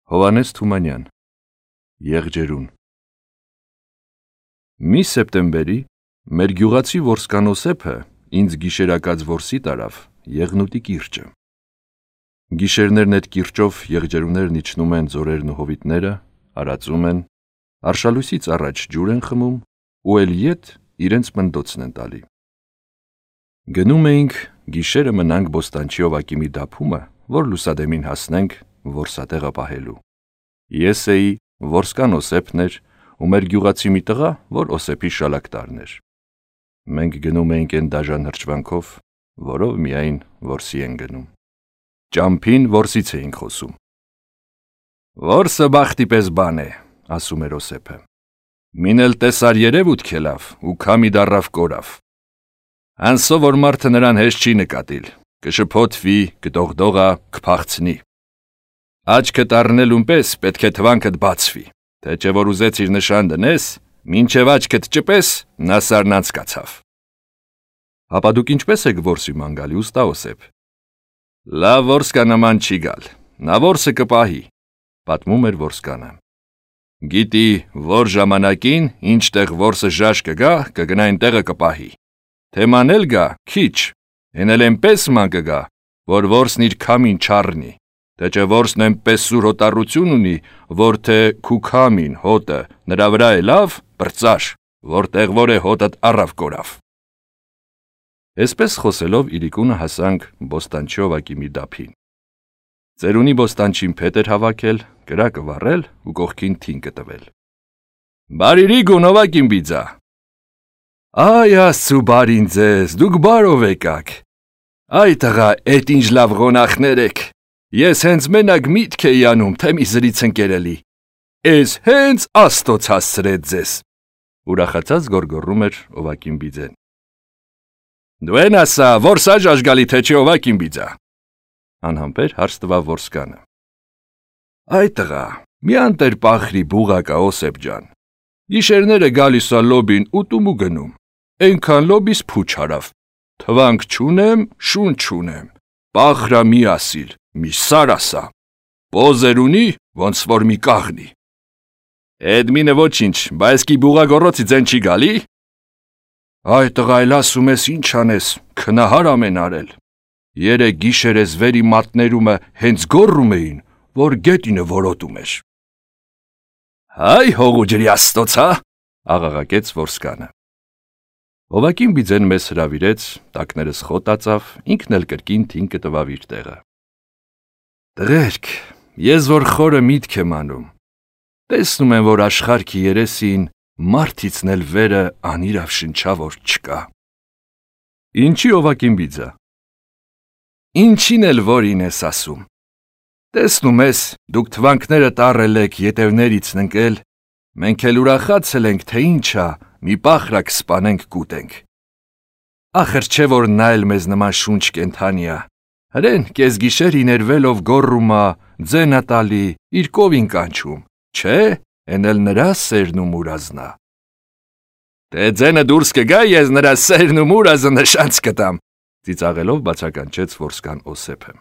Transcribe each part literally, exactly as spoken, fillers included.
Հովհաննես Թումանյան, Եղջերուն։ Մի սեպտեմբերի մեր գյուղացի որսկան Օսեփը ինձ գիշերակաց որսի տարավ Եղնուտի կիրճը։ Գիշերներն այդ կիրճով եղջերուներն իջնում են ձորերն ու հովիտները, արածում են, արշալույսից առաջ ջուր են խմում ու էլ ետ իրենց մնդոցն են տալի։ Գնում էինք գիշերը մնանք Բոստանչի օվակի մի դափումը, որ լուսադեմին հասնենք որսատեղը պահելու։ Ես էի, որսկան Օսեփն էր ու մեր գյուղացի մի տղա, որ Օսեփի շալակտարն էր։ Մենք գնում էինք այն դաժան հրճվանքով, որով միայն որսի են գնում։ Ճամփին որսից էինք խոսում։ Որսը բախտի պես բան է, ասում էր Օսեփը։ Մին էլ տեսար երևույթ քելավ ու քամի դառավ կորավ։ Անսո որ մարդը նրան հեշտ չի նկատիլ, կշփոթվի, կդողդողա, կփախցնի։ Աչքդ առնելուն պես պետք է թվանքդ բացվի, թե չէ որ ուզեցիր նշան դնես, մինչև աչքդ ճպես, նա սարն անցկացավ։ Հապա դուք ինչպես եք որսի ման գալի, ուստա Օսեփ։ Լավ որսկա նման չի գալ, նա որսը կպահի, պատմում էր որսկանը։ Գիտի, որ ժամանակին, ինչ տեղ որսը ժաշ կգա, կգնա այն տեղը կպահի։ Թե մանել գա, քիչ, հեն էլ այնպես ման կգա, որ որսն իր քամին չառնի, թե չէ որսն այնպես սուր հոտառություն ունի, որ թե քու քամին, հոտը, նրա վրա է լավ, բրծար, որտեղ որ է հոտդ առավ կորավ։ Այսպես խոսելով իրիկունը հասանք Բոստանչի օվակի մի դափին։ Ծերունի Բոստանչին փետ էր հավաքել, կրակը վառել ու կողքին թինկը տվել։ Բարիրի գուն օվակին բիձա։ Այ աստծու բարին ձեզ, դուք բարով եկաք։ Այ տղա, էդ ինչ լավ ղոնախներ եք։ Ես հենց մենակ միտք էի անում, թե մի զրից ընկերելի։ Էս հենց Աստոց հասցրեց ձեզ։ Ուրախացած գոռգոռում էր օվակին բիձեն։ Դու են ասա, որսա ժաժգալի թե չի օվակին բիձա։ Անհամբեր հարց տվավ որսկանը։ Այ տղա, մի անտեր պախրի բուղակա Օսեփ ջան։ Գիշերները գալիս ա լոբին ուտում ու գնում։ Այնքան լոբիս փուչ հարավ։ Թվանք չունեմ, շուն չունեմ։ Պախրա մի ասիլ, մի սար ասա։ Պոզեր ունի, ոնց որ մի կաղնի։ Էդ մինը ոչինչ, բայց կի բուղագոռոցի ձեն չի գալի։ Այ տղա, այլ ասում ես ինչ անես, քնահար ամեն արել։ Երեք գիշեր ես վերի մատներումը հենց գոռում էին, որ գետինը որոտում էր։ Հայ հողու ջրի Աստոց, հա, աղաղակեց որսկանը։ Օվակին բիձեն մեզ հրավիրեց, տակներս խոտացավ, ինքն էլ կրկին թինկը տվավ իր տեղը։ Տղերք, ես որ խորը միտք եմ անում, տեսնում եմ, որ աշխարհքի երեսին մարդիցն էլ վերը անիրավ շնչավոր չկա։ Ինչի օվակին բիձա։ Ինչին էլ որին ես ասում։ Տեսնում ես, դուք թվանքները տառել եք ետևներից ընկել, մենք էլ ուրախացել ենք, թե ինչա, մի պախրակ սպանենք կուտենք։ Ախր չէ որ նա էլ մեզ նման շունչ կենթանի ա, հրեն կես գիշեր իներվելով գոռումա, ձենա տալի, իր կովին կանչում, չէ, են էլ նրա սերն ու մուրազնա։ Թե ձենը դուրս կգա, ես նրա սերն ու մուրազը նշանց կտամ, ծիծաղելով բացականչեց որսկան Օսեփը։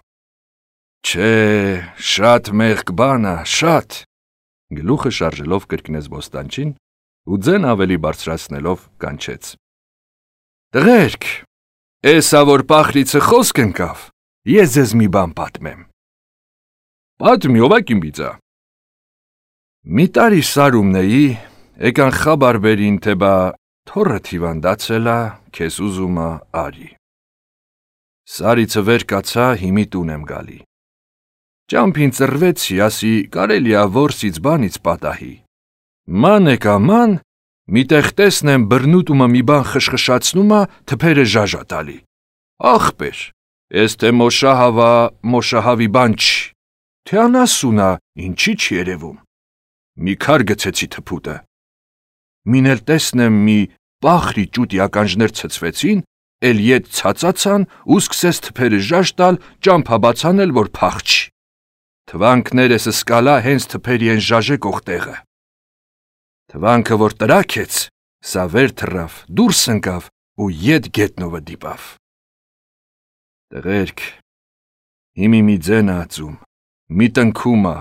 Չէ, շատ մեղք բան ա, շատ։ Գլուխը շարժելով կրկնեց Բոստանչին ու ձեն ավելի բարձրացնելով կանչեց։ Տղերք, էսա որ պախրիցը խոսք ընկավ, ես ձեզ մի բան պատմեմ։ Պատմի օվակին բիձա։ Մի տարի սարումն էի, եկան խաբար բերին, թե բա թոռը հիվանդացել ա, քեզ ուզում ա արի։ Սարիցը վեր կացա, հիմի տուն եմ գալի։ Ճամփին ծռվեցի, ասի կարելի ա որսից բանից պատահի։ Ման եկա ման, միտեղ տեսնեմ բռնուտումը մի բան խշխշացնում ա, թփերը ժաժա տալի։ Ախպեր, ես թե մոշահավա, մոշահավի բան չի, թե անասունա, ինչի չի երևում։ Մի քար գցեցի թփուտը։ Մին էլ տեսնեմ մի պախրի ճուտի ականջներ ցցվեցին, էլ ետ ցածացան ու սկսես թփերը ժաժ տալ, ճամփաբացանել, որ փախչի։ Թվանքներս սկալա հենց թփերի են ժաժեկող տեղը։ Թվանքը որ տրակեց, սա վեր թռավ, դուրս ընկավ ու ետ գետնովը դիպավ։ Տղերք, հիմի մի ձեն ա ածում, մի տնքում ա,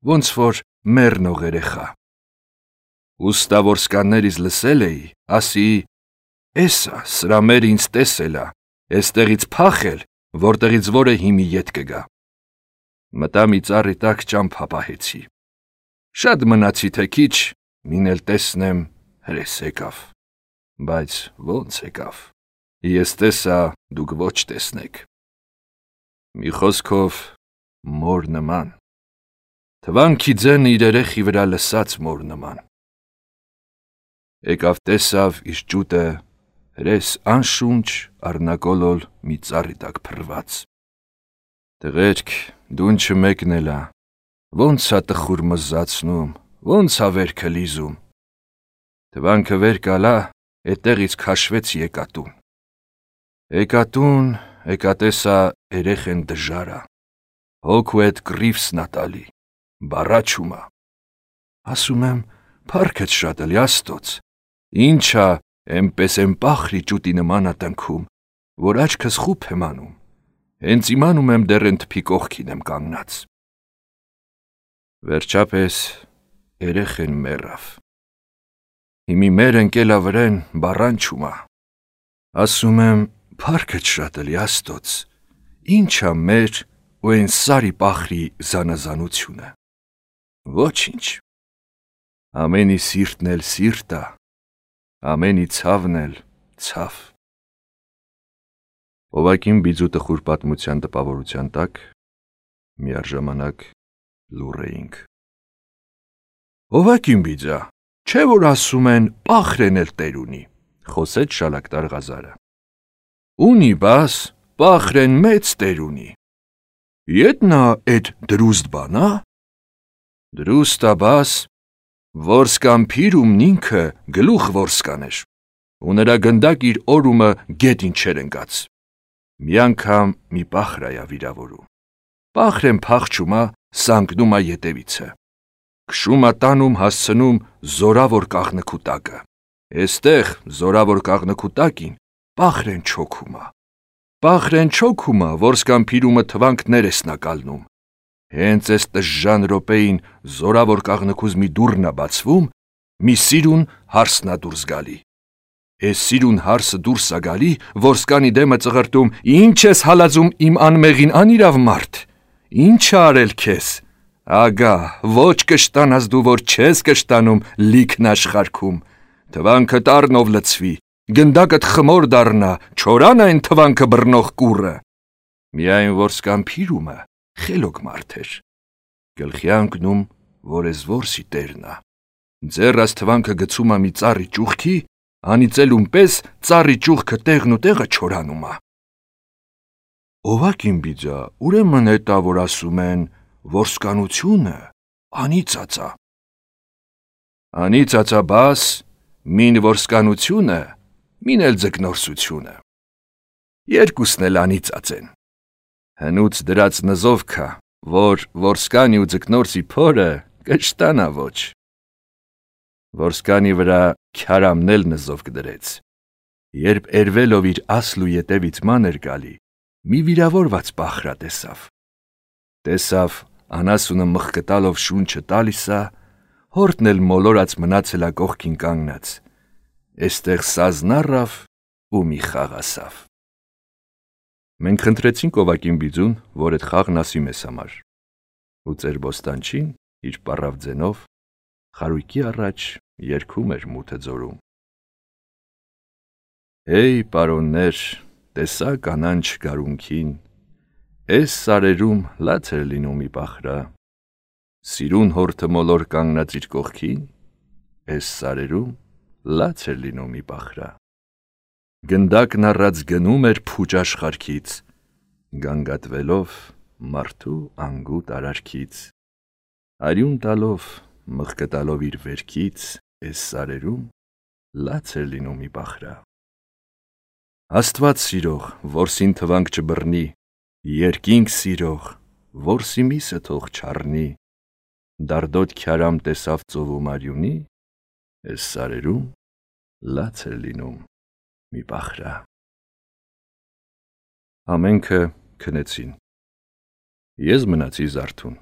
ոնց որ մեռնող երեխա։ Ուստա որսկաններից լսել էի, ասի, «Էսա, սրա մեր ինձ տեսել ա, էստեղից փախել, որտեղից որը հիմի ետ կգա»։ Մտա մի ծառի տակ ճամփա պահեցի։ Շատ մնացի թե քիչ, մին էլ տեսնեմ հրես եկավ, բայց ոնց եկավ, ես տեսա, դուք ոչ տեսնեք։ Մի խոսքով մոր նման, թվանքի ձեն իր երեխի վրա լսած մոր նման։ Եկավ տեսավ իր ջուտը հրես անշունչ առնակոլոլ մի ծառի տակ փռված։ Տղերք, դուն չմեկնել ա, ոնց ա տխուր մզացնում, ոնց ա վերքը լիզում։ Թվանքը վեր կալա, էտեղից քաշվեց եկատուն։ Եկատուն, եկա տեսա երեխեն դժարա, հոգու էտ կռիվսն ա տալի, բառաչում ա։ Ասում եմ, փառքդ շատ էլի Աստծոց, ինչ ա, էնպես են պախրի ջուտի նման ա տնքում, որ աչքս խուփ եմ անում, հենց իմանում եմ դեռ են թփի կողքին եմ կանգնած։ Վերջապես երեխեն մեռավ։ Հիմի մեր ընկելա վրեն բառանչում ա։ Ասում եմ, փառքդ շատ էլի Աստծոց, ինչ ա մեր ու են սարի պախրի զանազանությունը։ Ոչինչ։ Ամենի սիրտն էլ սիրտ ա, ամենի ցավն էլ ցավ։ Օվակին բիձու տխուր պատմության տպավորության տակ միառժամանակ լուռ էինք։ Օվակին բիձա, չէ որ ասում են պախրեն էլ տեր ունի, խոսեց շալակտար Ղազարը։ Ունի բաս, պախրեն մեծ տեր ունի։ Ետնա էդ դրուստ բանա։ Դրուստա բաս, որսկան փիրումն ինքը գլուխ որսկաներ, ու նրա գնդակ իր օրումը գետին չեր ընկած։ Մի անգամ մի պախր այա վիրավորում։ Պախրեն փախչում ա, սանկնում ա ետևիցը։ Քշում ա տանում հասցնում զորավոր կաղնկու տակը։ Էստեղ զորավոր կաղնկու տակին պախրեն չոքում ա։ Պախրեն չոքում ա, որսկան փիրումը թվանքներ էսնա կալնում։ Հենց էս տժժան րոպեին զորավոր կաղնկուզ մի դուռն ա բացվում, մի սիրուն հարսն ա դուրս գալի։ Էս սիրուն հարսը դուրս ա գալի, որսկանի դեմը ծղրտում, ինչ ես հալածում իմ անմեղին անիրավ մարդ, ինչ ա արել քեզ։ Ագա, ոչ կշտանաս դու, որ չես կշտանում լիքն աշխարհքում, թվանքը տառնով լցվի, գնդակդ խմոր դառնա, չորան այն թվանքը բռնող կուռը։ Միայն որսկան փիրումը խելոք մարդ էր։ Գլխի անկնում, որ ես որսի տերն ա։ Ձեռս թվանքը գցում ա մի ծառի ճուղքի, անիծելուն պես ծառի ճուղքը տեղն ու տեղը չորանում ա։ Օվակին բիձա, ուրեմն էտա որ ասում են, որսկանությունը անիծած ա։ Անիծած ա բաս, մին որսկանությունը, մին էլ ձկնորսությունը։ Երկուսն էլ անիծած են։ Հնուց դրած նզովքա, որ որսկանի ու ձկնորսի փորը կշտանա ոչ։ Որսկանի վրա քյարամն էլ նզովք դրեց։ Երբ երվելով իր ասլու ետևից մանր գալի, մի վիրավորված պախրա տեսավ։ Տեսավ, անասունը մխկտալով շունչը տալիս ա, հորտն էլ մոլորած մնացել ա կողքին կանգնած։ Էստեղ սազն առավ ու մի խաղ ասավ։ Մենք խնդրեցինք Օվակին բիձուն, որ այդ խաղն ասի մեզ համար։ Ու ծեր բոստանչին իր պառավ ձենով խարույկի առաջ երգում էր մութը ձորում։ Հեյ պարոններ, տեսա կանանչ գարունքին, էս սարերում լաց էր լինում մի պախրա, սիրուն հորթը մոլոր կանգնած իր կողքին, էս սարերում լաց էր լինում մի պախրա։ Գնդակն առած գնում էր փուճ աշխարհքից, գանգատվելով մարդու անգութ արարքից, արյուն տալով, մխկտալով իր վերքից, էս սարերում լաց էր լինում մի պախրա։ Աստված սիրող, որսին թվանք չբռնի, երկինք սիրող, որսի միսը թող չառնի, դարդոտ քյարամ տեսավ ծովում արյունի, էս սարերում լաց էր լինում մի պախրա։ Ամենքը քնեցին։ Ես մնացի զարթուն։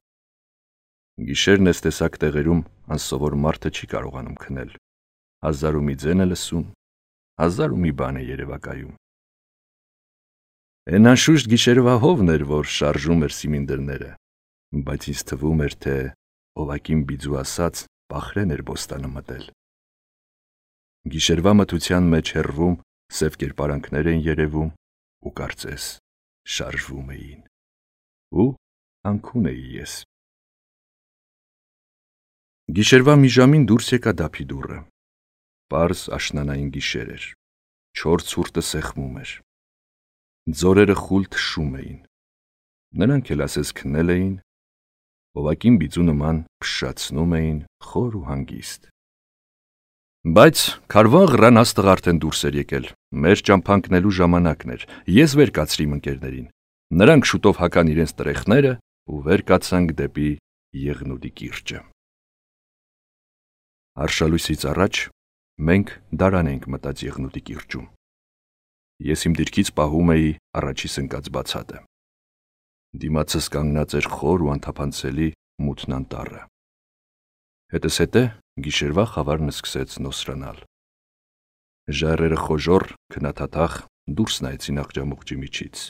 Գիշերն էս տեսակ տեղերում անսովոր մարդը չի կարողանում քնել, հազար ու մի ձեն է լսում, հազար ու մի բան է երևակայում։ Էն անշուշտ գիշերվա հովն էր, որ շարժում էր սիմինդրները, բայց ինձ թվում էր, թե Օվակին Բիձու ասած Պախրեն էր բոստանը մտել։ Գիշերվա մթության մեջ հեռվում սև կերպարանքներ էին երևում ու կարծես շարժվում էին, ու անքուն էի ես։ Գիշերվա մի ժամին դուրս եկա դափի դուռը, պարզ աշնանային գիշեր էր, չոր ցուրտը սեղմում էր, ձորերը խուլ թշում էին, նրանք էլ ասես քնել էին, Օվակին Բիձու նման փշացնում էին խոր ու հանգիստ։ Բայց քարվան ղռան աստղ արդեն դուրս էր եկել, մեր ճամփանքնելու ժամանակն էր, ես վեր կացրի իմ ընկերներին, նրանք շուտով հական իրենց տրեխները ու վեր կացանք դեպի Եղնուդի կիրճը։ Արշալույսից առաջ մենք դարան ենք մտած Եղնուդի կիրճում։ Ես իմ դիրքից պահում էի առաջիս ընկած բացատը։ Դիմացս կանգնած էր խոր ու անթափանցելի մութն անտառը։ Հետս հետե գիշերվա խավարն սկսեց նոսրանալ։ Ժայռերը խոժոռ, քնաթաթախ դուրս նայեցին աղջամուղջի միջից։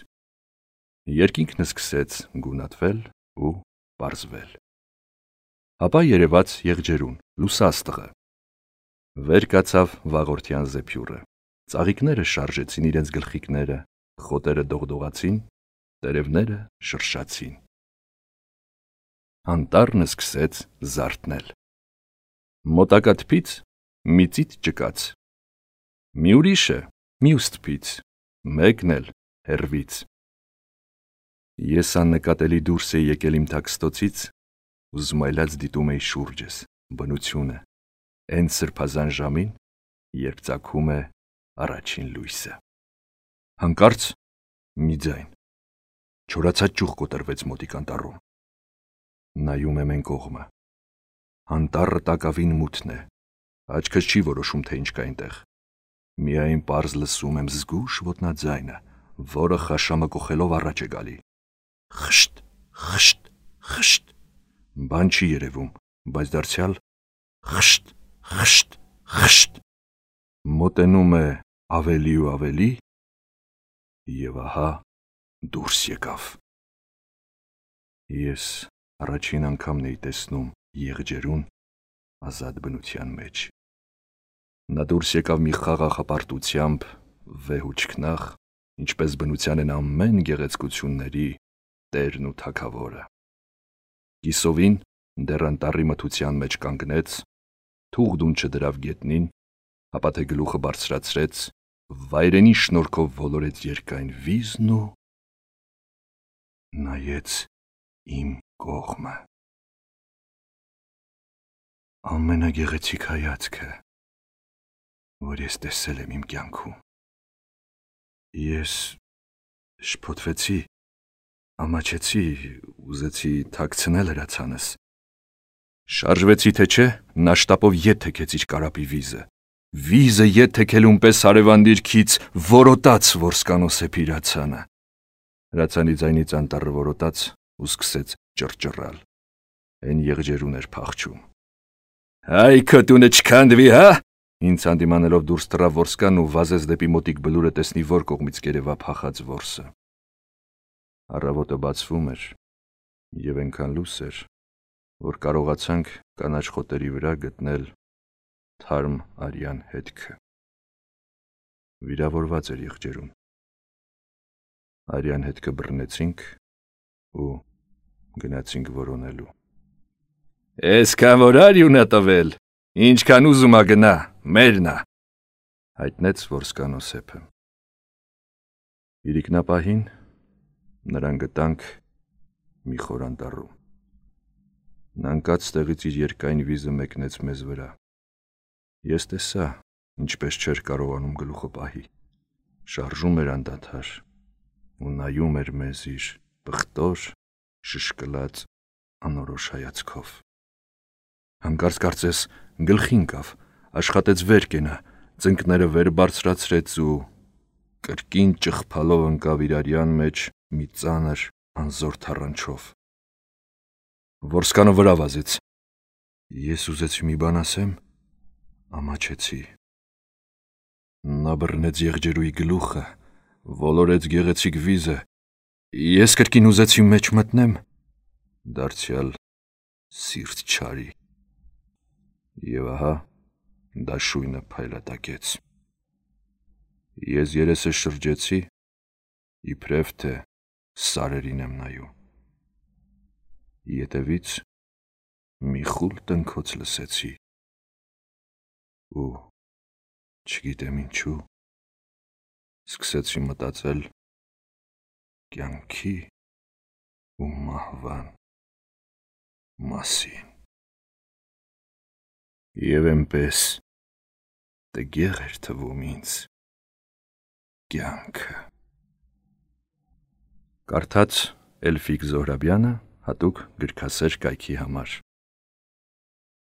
Երկինքն սկսեց գունատվել ու պարզվել։ Ապա երևաց եղջերուն, լուսաստղը։ Վեր կացավ վաղորդյան զեփյուռը։ Ծաղիկները շարժեցին իրենց գլխիկները, խոտերը դողդողացին, տերևները շրշացին։ Անտառն սկսեց զարթնել։ Մոտակա թփից մի ծիտ ճկաց։ Մի ուրիշը մյուս թփից, մեկն էլ հեռվից։ Ես աննկատելի դուրս էի եկել իմ թաքստոցից ու զմայլած դիտում էի շուրջս, բնությունը, այն սրբազան ժամին, երբ ծագում է առաջին լույսը։ Հանկարծ մի ձայն, չորացած ճյուղ կոտրվեց մոտիկ անտառում։ Նայում եմ այն կողմը։ Անտառը տակավին մութն է, աչքս չի որոշում, թե ինչ կա այնտեղ։ Միայն պարզ լսում եմ զգույշ ոտնաձայնը, որը խաշամը կոխելով առաջ է գալի։ Խշտ, խշտ, խշտ, բան չի երևում, բայց դարձյալ խշտ, խշտ, խշտ, մոտենում է ավելի ու ավելի, և ահա դուրս եկավ։ Ես առաջին անգամն էի տեսնում եղջերուն ազատ բնության մեջ։ Նա դուրս եկավ մի խաղաղ հպարտությամբ, վեհ ու չքնաղ, ինչպես բնության են ամեն գեղեցկությունների տերն ու թագավորը։ Կիսովին դեռ անտառի մթության մեջ կանգնեց, թուղդուն չդրավ գետնին, ապա թե գլուխը բարձրացրեց, վայրենի շնորհքով ոլորեց երկայն վիզն ու նայեց իմ կողմը։ Ամենագեղեցիկ հայացքը, որ ես տեսել եմ իմ կյանքում։ Ես շփոթվեցի, ամաչեցի, ուզեցի թաքցնել հրացանս։ Շարժվեցի թե չէ, նա շտապով ետ թեքեց իր կարապի վիզը։ Վիզը ետ թեքելուն պես հարևան դիրքից որոտաց Որսկանո սեփի հրացանը։ Հրացանի ձայնից անտառը որոտաց ու սկսեց ճռճռալ։ Այն եղջերուն էր փախչում։ Հայ քո տունը չքանդվի, հա։ Ինձ հանդիմանելով դուրս թռավ Որսկան ու վազեց դեպի մոտիկ բլուրը տեսնի որ կողմից կերևա փախած որսը։ Առավոտը բացվում էր և այնքան լույս էր, որ կարողացանք կանաչ խոտերի վրա գտնել թարմ արյան հետքը։ Վիրավորված էր եղջերուն։ Արյան հետքը բռնեցինք ու գնացինք որոնելու։ Էսքան որ արյուն է տվել, ինչքան ուզում ա գնա, մերն ա, հայտնեց Որսկանո սեփը։ Իրիկնապահին նրան գտանք մի խոր անտառում։ Նա ընկած տեղից իր երկայն վիզը մեկնեց մեզ վրա։ Ես տեսա, ինչպես չէր կարողանում գլուխը պահի, շարժում էր անդադար ու նայում էր մեզ իր պղտոր, շշկլած անորոշ հայացքով։ Հանկարծ կարծես գլխի ընկավ, աշխատեց վեր կենա, ծնկները վեր բարձրացրեց ու կրկին ճղփալով ընկավ իր արյան մեջ մի ծանր անզոր թառանչով։ Որսկանը վրա վազեց։ Ես ուզեցի մի բան ասեմ, ամաչեցի։ Նա բռնեց եղջերուի գլուխը, ոլորեց գեղեցիկ վիզը։ Ես կրկին ուզեցի մեջ մտնեմ, դարձյալ սիրտ չարի։ Եվ ահա դաշույնը փայլատակեց։ Ես երեսը շրջեցի, իբրև թե սարերին եմ նայում։ Ետևից մի խուլ տնքոց լսեցի։ Ու չգիտեմ ինչու, սկսեցի մտածել կյանքի ու մահվան մասին։ Եվ էնպես տգեղ էր թվում ինձ կյանքը։ Կարդաց Էլֆիկ Զոհրաբյանը հատուկ գրքասեր կայքի համար։